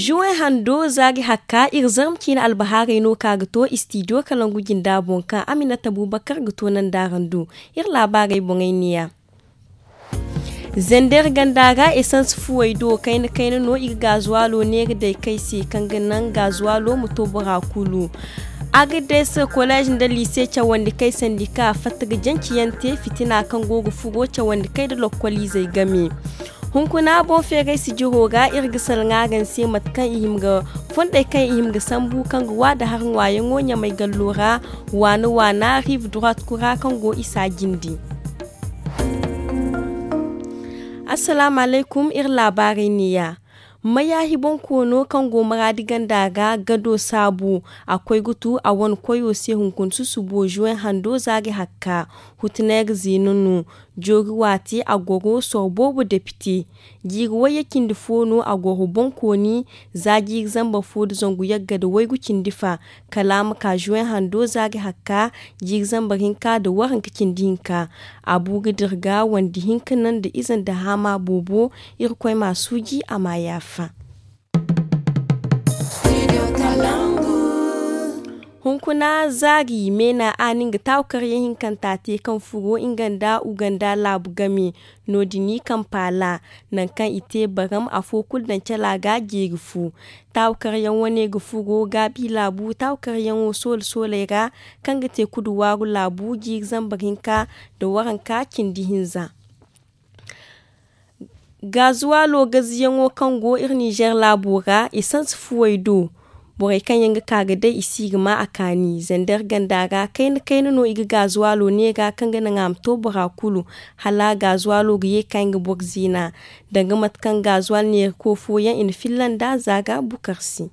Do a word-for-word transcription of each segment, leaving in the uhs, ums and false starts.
Juwen hando zaari hakka iri zarma ciine albahaarey no ka ga to istidiyo kalangu jinda boŋ kaŋ aminata bubakar ga to nandaarandu. Iri laabaarey boŋey neeya. Zender ganda ra esans fuwey do kayna kayna no i ga gaazuwaalo neera day kay se kaŋ ga naŋ gaazuwaalo ma to bora kulu. Agades kolej nda liise cawandi kay sandika fatta ga janci yaŋ te fitina kaŋ go ga furo cawandi kay nda lokkol izey game. Hunkuna boŋ feeray sijiro ra iri ga salaŋ araŋ se mate kaŋ i hima ga fondey kaŋ i hima ga sambu kaŋ ga wa nda har ŋwaayaŋo ɲamay gallo ra waana waana rive droite kura kaŋ go isa jindi. Assalaamu alaykum iri laabaarey neeya. Mayaahi boŋ koono kaŋ go maraadi ganda ra gado saabu a koy ga tu a wane koyo se hunkuna susubo juwen hando zaari hakka. Hutuneer ziina no joori waati a goro soro boobo depite. Jiiri wayye cindi fo no a goro boŋkooni za jiiri zambar fo nda zangu yagga nda waygu cindi fa kala a ma ka juwen hando zaari hakka. Jiiri zambar hinka nda waranka cindi hinka a bu ga dira ga wande hinka naŋ nda ize nda haama boobo. Irkoy m'a suuji a m'a yaafa. Hunkuna zaari meena a na nga taawakaryaŋ hinkanta te kaŋ furo nga nda uganda laabu game. No- din i kampaala nangu kaŋ i te baram afo kulu daŋ cala ga jeeri fu. Taawakaryaŋ wane ga furo gaabi laabu taawakaryaŋo soola sooley ra kaŋ ga te kudu waaru laabu jiiri zambar hinka nda waranka cindi hinza. Gaazuwaalo gaziyaŋo kaŋ go iri ninzeer laabo ra esans fuwey do. Borey kaŋ yaŋ ga ka ga day i si ga ma a kaani zander ganda ra kayna kayna no i ga gaazuwaalo neera kaŋ ga naŋ a ma to bora kulu hala gaazuwaalo ga ye ka nga boro ziina. Danga mate kaŋ gaazuwaal neerako fooyaŋ i na filla nd'a za ga bukar se.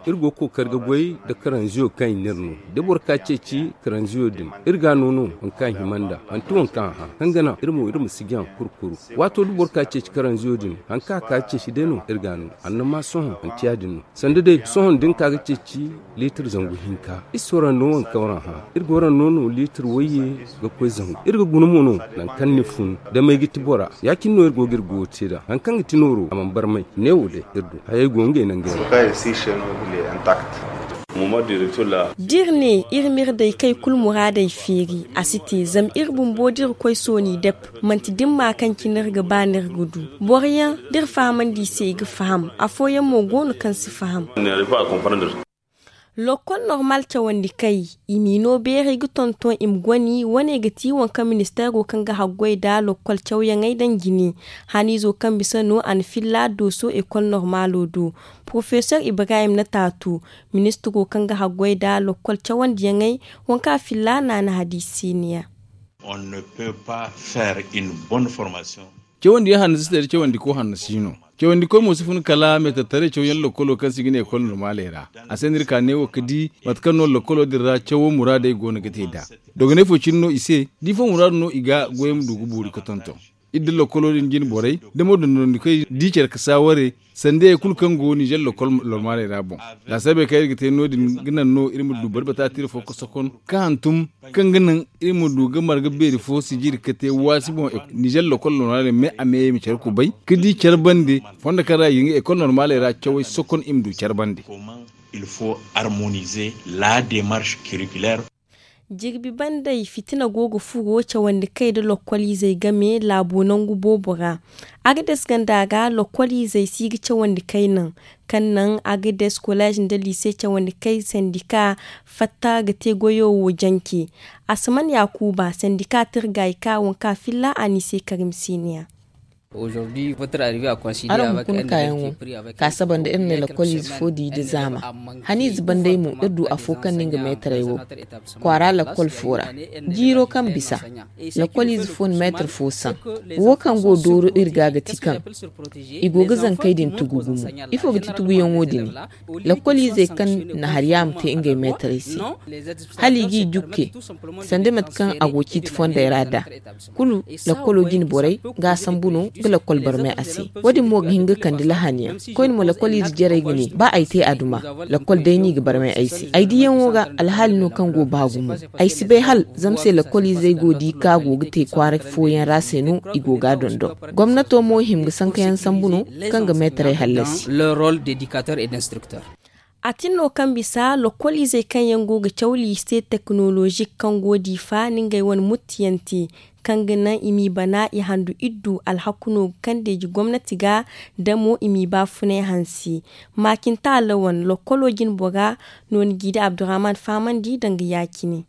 Iri go ga kookari ga goy nda karanziyo kaŋ i n'iri no da boro ka ceeci karanziyo din iri ga a no no. Hari kaŋ a hima nd'a manti waŋ kaŋ a hã kaŋ ga naŋ iri mo iri ma si jaŋ kuru kuru. Waato da boro ka ceeci karanziyo din hari kaŋ a ka ga ceeci day no iri ga a no. Annama sohõ manti ya- din no sanda day sohõ da ni ka ga ceeci liitir zangu hinka iri si waraŋ no waŋ kaŋ waraŋ hã. Iri ga waraŋ no no liitir wayye ga koy zangu iri ga guna mo no. Nangu kaŋ ni fun da may ga ti bora ya- cine no iri go ga iri goyo te nd'a hari kaŋ ga ti nooro a mana barmay. Neewo day iri du hayey go ngey nangey ra. Da iri ne iri m'iri daykey kulu muraadey feeri a si te zama iri bumbo da iri koy sooni dep. Manti dimma kaŋ cine iri ga ba no iri ga du boro yaŋ da iri fahamandi i se i ga faham. Afooyaŋ mo go no kaŋ si faham. Lokkol normal cawandi kay i m'i no beeray ga tonton i ma goni wane ga ti waŋ kaŋ ministeero kaŋ ga haggoy nda lokkol cawyaŋey daŋ jine. Haniizo kaŋ bisa no a na filla dooso ekol normaalo do. Porofesor ibrahim na taatu ministiro kaŋ ga haggoy nda lokkol cawandiyaŋey waŋ kaŋ a filla naana hadiisi se niya. Cawandi yaŋ hanno si te da cawandi ko hanno si no. Cawandi koy mo si fun kala meetartaray cawyaŋ lokkolo kaŋ se i ga ne ekol normaley ra. A se no iri ka neewo ga di mate kaŋ no lokkolo din ra cawo muraadey go no ga te nd'a. Dogonay fo cine no i se da ifo muraadu no i ga goyey ma du ga boori ga tonton. Iri da lokkolo din jine borey da mo dondonandikoy di care ga saaware sanda ye kulu kaŋ go ninzeer lokkol normaley ra boŋ. Laasaabey kaŋ iri ga te no- din ga naŋ no iri ma du bari bata tiira fo ga sokon ga hantum kaŋ ga naŋ iri ma du ga marga beeri fo sijiri ga te waasi boŋ. Ninzeer lokkol normaley me a meyey ma care kubay ga di care bande fondo kaŋ ra i ga nga ekol normaley ra cawey sokon i ma du care bande. Il faut harmoniser la demarche curriculaire. Jirbi banday fitina go ga furo cawandi kay nda lokkol izey game laabo nangu boobo ra. Agades ganda ra lokkol izey si ga cawandi kay naŋ kaŋ naŋ agades kolej nda liise cawandi kay sandika fatta ga te goyo wo janci. Asaman yaakuuba sandika tirgay ka waŋ ka filla a n'i se karim siiniya. Araŋ hunkuna kaayaŋo ka saba nda iri ne lakkol ize fo di nda zaama. Haniize banday mo iri du afo kaŋ no nga meetarey wo kwaara lakkol fo ra. Jiiro kaŋ bisa lakkol ize fo na meetar fo saŋ. Wo kaŋ go dooro iri ga ga ti kaŋ i go ga zankey din tugu gumo. Ifo ga ti tuguyaŋo din? Lakkol izey kaŋ na hari yaama te ngey meetarey se hala i g'i jukke sanda mate kaŋ a go ciiti fondey ra nd'a. Kulu lakkolo jine borey ga a sambu no Ga lakkol barmay a se. Wo- din mo ga hin ga kande lahani yaŋ. Koyne mo lakkol ize jarey ga ne ba ay te a duma. Lakkol day no i ga barmay ay se ay diyaŋo ga. Alhaali no kaŋ go ba gumo. Ay si bay hala zama se lakkol izey go di ka go ga te kwaara fooyaŋ ra se no i go ga a dondon. Gomnato mo hima ga sankayaŋ sambu no kaŋ ga meetarey hallasi. A tin no kaŋ bisa lokol izey kaŋ yaŋ go ga caw liise teknolozik kaŋ go diifa na ngey wane muttiyaŋ te, kaŋ ga naŋ i m'i bana i handu iddu alhaku no ga kande ji gomnati ga, da mo i m'i baafunay hanse. Maacinta lawan lokolo jinbora no ni g'i da abdurahman fahamandi danga ya-cine.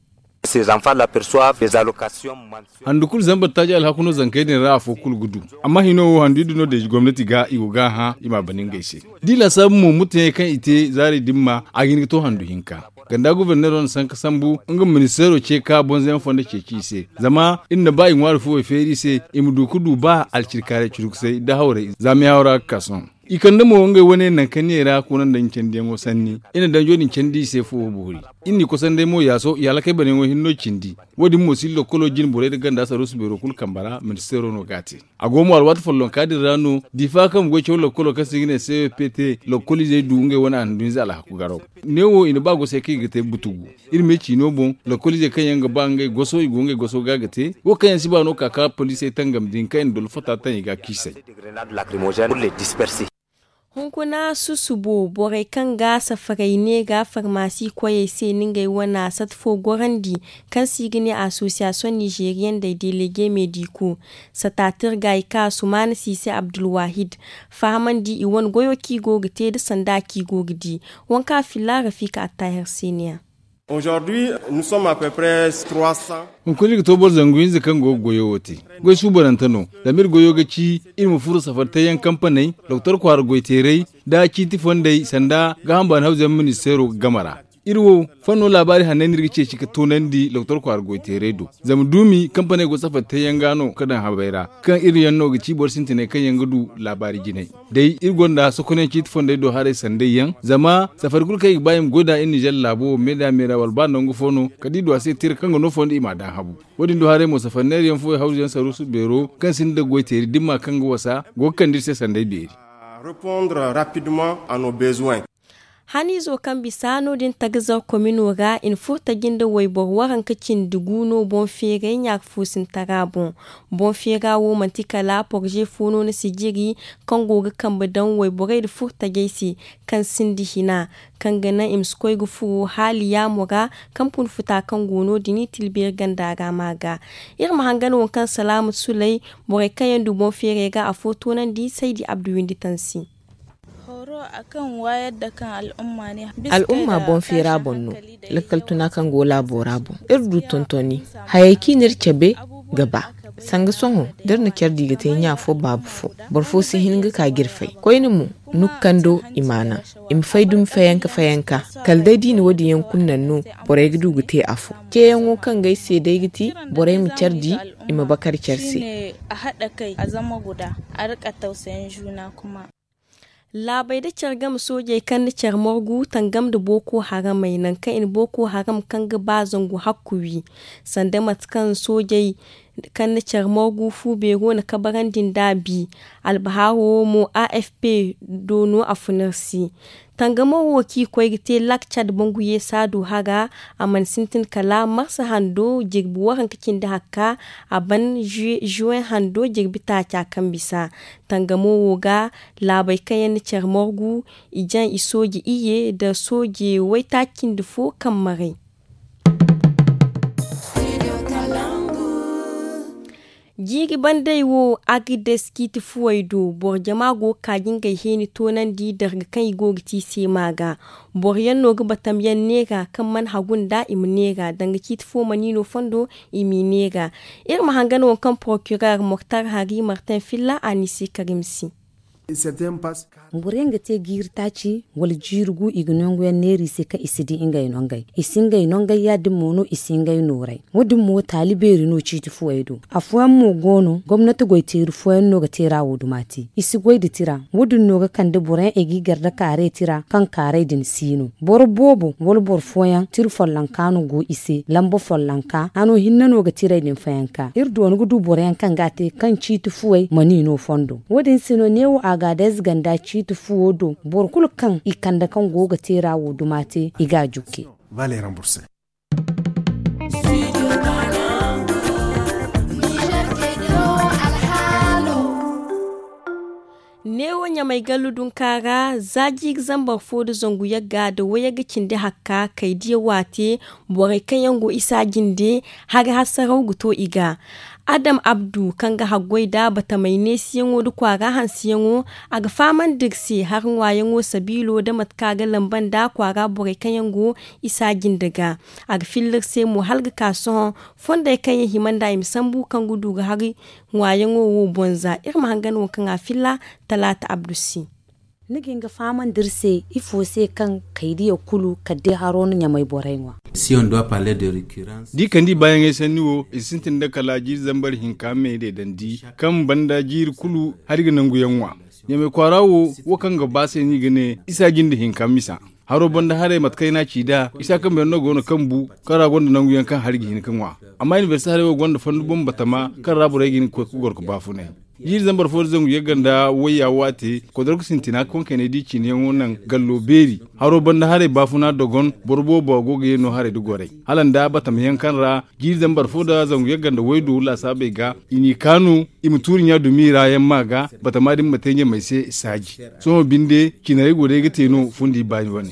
Handu kulu zambar taaji alhaku no zankey din ra afo kulu ga du. Amma hino wo handu iddu no deeji gomnati ga i go ga a hã i m'a bana ngey se. Da i laasaabu mo mutteyaŋ kaŋ i te zaari dimma a ga hin ga to handu hinka. Ganda guberneero na sanka sambu nga ma ministeero ce ka bonzoyaŋ fondo ceeci i se. Zama iri na ba i ŋwaari fuwey feeri i se i ma du ga du ba alcirkaaray curkusay da hawrey za meehaw ra ga ka sohõ. I kande mo ngey wane nankaniyey ra kuna nda ɲcandiyaŋo sanni. Iri na danjo din candi i se fuwo boori. Iri n'i kosanday mo yaaso i halakay banayaŋo hinno cindi. Wo- din mo si lokolo jine borey nda ganda saruusu beero kulu kambe ra ministeero no ga a te. A go mo alwaati follonka din ra no diifa kaŋ ga goy caw lokolo kaŋ se i ga ne c o p t lokoliizey du ngey wane a na du hinza alhaku garaw. Neewo i na ba goso kaŋ i ga te butugu. Iri me ciino boŋ lokoliizey kaŋ yaŋ ga ba ngey goso i go ngey goso ga ga te. Wo kaŋ yaŋ si ba no ka ka poliisey tangam din kaŋ i na dolo fata taŋ i ga a kiisay. Hunkuna susubo borey kaŋ ga safaray ne ga farmasi koyey se na ngey wane sat fo gorandi, kaŋ se i ga ne asosiyasiyoŋ nizeeriyaŋ day delege mediku. Sata tirga i ka sumaana siise abdulwahid fahamandi i wane goyo kaŋ i go ga te nda sanda kaŋ i go ga di. Wanka filla rafika attahir se ne ya. Hunkuna iri ga to boro zangu hinza kaŋ go ga goyo wo te. Goy suubanante no. Zama iri goyo ga ci iri ma furo safari teeyaŋ kampaney, doktor kwaara goyteeray, nda ciiti fondey sanda gaaham baani hawzuyaŋ ministeero game ra. Iri wo, fanno laabaari hanney no iri ga ceeci ga toonandi doktor kwaara goyteeray do. Zama duumi kampaney go safari teeyaŋ ga no ga daŋ habey ra, kaŋ iri yaŋ no ga ci boro sintiney kaŋ yaŋ ga du laabaari jinay. Day iri gonda sokonayaŋ ciiti fondey do haray sanday yaŋ. Zama safari kulu kaŋ i ga ba i ma goy nd'a iri nizer laabo wo meeda meeda wala ba nangu fo no, kala da i du a se tira kaŋ ga no fondo i m'a daŋ habu. Wo- din do haray mo safari neerayaŋ fooyaŋ hawzuyaŋ saruusu beero kaŋ sinda goyteeri dimma kaŋ ga wasa go ga kande iri se sanday beeri. Haniizo kaŋ bisa no- din tagazar komino ra i na furo taji nda wayboro waranka cindi gu no boŋ feeray ɲaaka fo sintara boŋ. Boŋ feera wo manti kala porze fo no ni si jiri kaŋ go ga kambe daŋ wayborey nda furo tajey se, kaŋ sinda hina, kaŋ ga naŋ i ma si koy ga furo haali yaamo ra. Kampun futa kaŋ go no- din i tilbeeri ganda ra ma ga. Iri ma hangan waŋ kaŋ salaamu sulay borey kaŋ yaŋ du boŋ feeray ga afo toonandi saydi abdu windi tansi. Al'umma boŋ feera boŋ no. Lakkal tuna kaŋ go laabo ra boŋ iri du tontoni. Hayey kaŋ i n'iri cabe ga ba sanga sohõ da iri na care di ga te ɲa fo baabu fo. Boro fo si hin ga ka ga iri fay koyne mo. Nukando i ma naŋ i ma fay dumi fayanka fayanka. Kala day da i na wo- din yaŋ kulu naŋ no borey ga du ga te afo. Ceeyaŋo kaŋ ga ay se day ga ti borey ma care di i ma bakar care se. Laabey nda care game soojey kaŋ na care morgu tangam nda booko haramey nangu kaŋ i na booko haram kaŋ ga ba zangu hakku wi. Sanda mate kaŋ soojey kaŋ na care morgu fu beero na kabarandi nd'a bi. Albaharo wo mo a f p do no a fun iri se. Tangamo wo kaŋ i koy ga te lak cad banguye saadu hara a mana sintin kala marsa hando jirbi waranka cindi hakka a ban juwen hando jirbi taaca kaŋ bisa. Tangamo wo ga laabey kaŋ yaŋ na care morgu i jaŋ i sooje iyye nda sooje waytaaci cindi fo kaŋ maray. Jiiri bandey wo agrides ciiti fuwey do boro jama go ga ka ga ngey heeni toonandi darga kaŋ i go ga te i se ma ga. Boro yaŋ no ga batam yaŋ neera kaŋ mana hagu nda i ma neera danga ciiti fo mana i no fondo i m'i neera. Iri ma hangan waŋ kaŋ porokirer moktar hari martin filla a n'i se karim se. Boro yaŋ ga te jiiri taaci wala jiiri gu i ga nangu yaŋ neera i se kaŋ i si di ngey nongey. I si ngey nongey ya- din mo no i si ngey nooray. Wo- din mo taali beeri no ciiti fuwey do. Afooyaŋ mo go no gomnati goy teeri fooyaŋ no ga teera wo duma te. I si goy nda tira. Wo- din no ga kande boro yaŋ i g'i gar nda kaaray tira kaŋ kaaray din si no. Boro boobo wala boro fooyaŋ tira follonka no go i se lamba follonka hano hinne no ga tirey din fayanka iri doona ga du boro yaŋ kaŋ ga a te kaŋ ciiti fuwey mana i no fondo. Wo- din se no neewo a ga adayze ganda ciiti fuwo do boro kulu kaŋ i kande kaŋ go ga teera wo duma te i ga a jukke. Neewo ɲamay gallu dunka ra za jiiri zambar fo nda zangu yagga nda wayagga cindi hakka kay diya waate. Borey kaŋ yaŋ go isa jinde hari hasaraw ga to i ga. Adam abdu kaŋ ga haggoy nda batamay neesiyaŋo nda kwaara hansiyaŋo, a ga fahamandi iri se hari ŋwaayaŋo sabiilo nda mate kaŋ a ga lamba nda kwaara borey kaŋ yaŋ go isa jinde ga. A ga filla iri se mo hala ga ka sohõ fondey kaŋ yaŋ hima nda i ma sambu kaŋ ga du ga hari ŋwaayaŋo wo boŋ za iri ma hangan wo kaŋ a filla. Talaata abdu se. Ni ga hin ga fahamandi iri se ifo se kaŋ kaydiya kulu kala day haro no ɲamay borey ŋwa. Da i kande i baayaŋey sanni wo i si sintin nda kala jiiri zambar hinka me deedandi kaŋ banda jiiri kulu hari ga nangu yaŋ ŋwa. Ɲamay kwaara wo wo kaŋ ga ba se no i ga ne isa jinde hinka misa. Haro banda haray mate kaŋ i n'a ci nd'a isa kambe yaŋ no go no kaŋ bu kaŋ ra gonda nangu yaŋ kaŋ hari ga hin ga ŋwa. Amma inibersite haray wo gonda fondo boŋ batama kaŋ ra borey ga hin ga koy ga goro ga baafunay. Jiiri zambar fo nda zangu yagga nda wayya waate kodorku sintina kaŋ kaynay da i ciiniyaŋo naŋ gallo beeri. Haro banda haray baafuna dogon boro boobo go ga ye no haray nda gorey hala nda batama yaŋ kaŋ ra jiiri zambar fo nda zangu yagga nda waydo laasaabey ga i n'i kaanu i ma tuuri ɲa dumi ra yaŋ ma ga batama din ma te ɲamay se saaji. Sohõ binde cinarey go day ga te no fundi baani wane.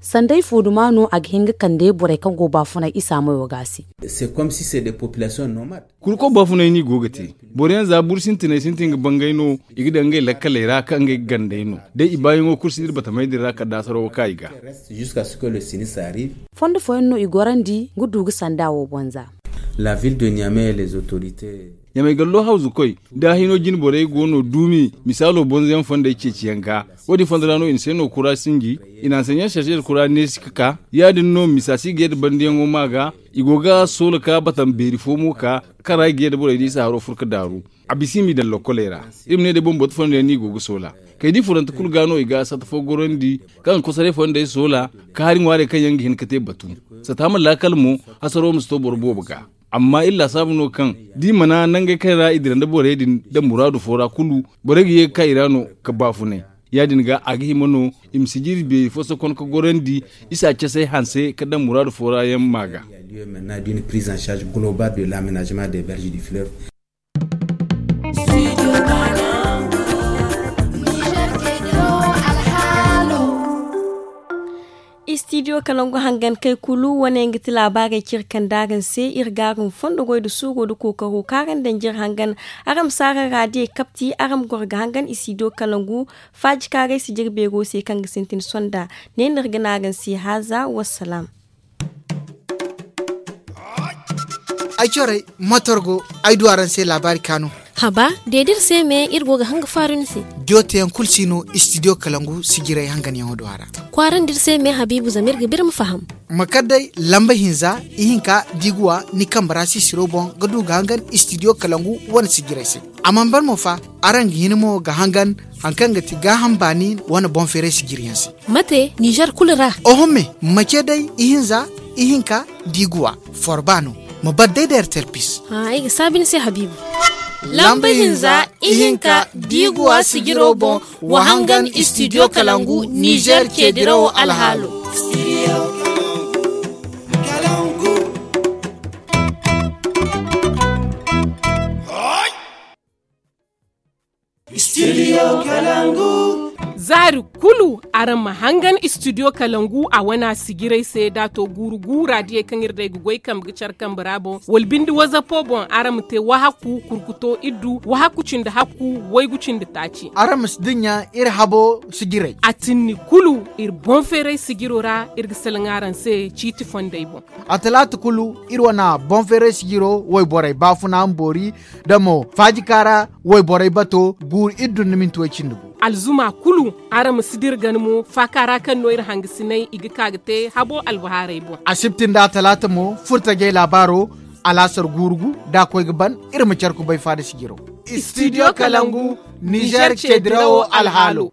Sanda ifo duma no a ga hin ga kande borey kaŋ go baafunay isa mayo ga a se. Kurko baafunay no i go ga te. Boro yaŋ za buru sintinay sintin ga bangay no i ga daŋ ngey lakkaley ra kaŋ ngey ga gandey no day i baayaŋo kulu si dira batamey din ra kala da hasaraw ga ka i ga. Fondo fooyaŋ no i gorandi ga du ga sanda wo boŋ za. Ɲamay gallo hawzukoy da hino jine borey go no duumi misaalo bonzoyaŋ fondey ceeciyaŋ ga. Wo- din fondo ra no i na se no kura sinji i na hanseɲaŋ sarseer kura neesi ga ka ya- din no misa si ga yadda bandiyaŋo ma ga. I go ga soola ka batam beeri fo mo ka kaŋ ra i ga yadda borey da isa haro furo ga daaru. A bisa i m'i daŋ lokkoley ra. Iri ma ne day bambata fondo yaŋ no i go ga soola kay da i furante kulu ga no i ga sata fo gorandi kaŋ ga kosoray fondey soola. Ka hari ŋwaarey kaŋ yaŋ ga hin ga te batu sata ma laakal mo. Hasaro ma si to boro boobo ga. Amma iri laasaabu no kaŋ da i mana nangey kaŋ ra i dira nda borey din daŋ muraadu fo ra kulu borey ga ye ga ka i ra no ga baafunay. Ya- din ga a ga hima no i ma si jiri beeri fo sokon ga gorandi isa casay hanse ga daŋ muraadu fo ra yaŋ ma ga. Istidiyo kalangu hangan kay kulu wane nga ti laabaarey kaŋ iri kande araŋ se. Iri ga araŋ fondo goy nda suuro nda kookaro kaŋ araŋ daŋ jiri hangan. Araŋ ma si araŋ raadiyey kapti araŋ ma goro ga hangan istidiyo kalangu. Faaji kaaray si jiri beero se kaŋ ga sintin sonda. Ne no iri ga ne araŋ se haaza wassalaam. Ay corey motor go ay du araŋ se laabaari kaanu. Haba, de da iri se me iri go ga hanga faaru ni se. Jooteyaŋ kulu si no istidiyo kalangu sijirey hanganyaŋo do a ra. Kwaarandi iri se me habiibu zama iri ga biri ma faham. Ma kar day lamba hinza ihinka da i ga wa ni kambe ra sisiro boŋ ga du ga hangan istidiyo kalangu wane sijirey se. A mana ban mo fa, araŋ ga hin mo ga hangan hari kaŋ ga ti gaaham baani wane boŋ feeray sijiriyaŋ se. Mate ninzeer kulu ra. Oho me, ma ce day ihinza ihinka da i ga wa forba no. Ma bar day da ertel pis. Ay ga saabi ni se habiibu. Lamba hinza ihinka da i ga wa sijiro boŋ. Wa hangan istidiyo kalangu ninzeer ceedirawo alhaalo. Studio Kalangu. Hari kulu araŋ ma hangan istidiyo kalangu a wana sijirey se da a to guuru guura diyey kaŋ iri day ga goy kambe ga care kambe ra boŋ wala binde wazapo boŋ araŋ ma te wahakku kurkuto iddu wahakku cindi hakku waygu cindi taaci. Araŋ ma si dinya iri habo sijirey. A tinni kulu iri boŋ feeray sijiro ra iri ga salaŋ araŋ se ciiti fondey boŋ. A talaata kulu iri wana boŋ feeray sijiro wayborey baafuna ma boori da mo faajika ra wayborey bato guuru iddu nda minti way cindi gu. Alzuma kulu araŋ ma si dira gana mo faaka ra kaŋ no iri hangasinay i ga ka ga te habo albahaarey boŋ. Asibti nda a talaata mo furtajey laabaaro alaasar guuru gu da a koy ga ban iri ma care kubay faada sijiro. Istidiyo kalangu nizer ce dirawo alhaalo.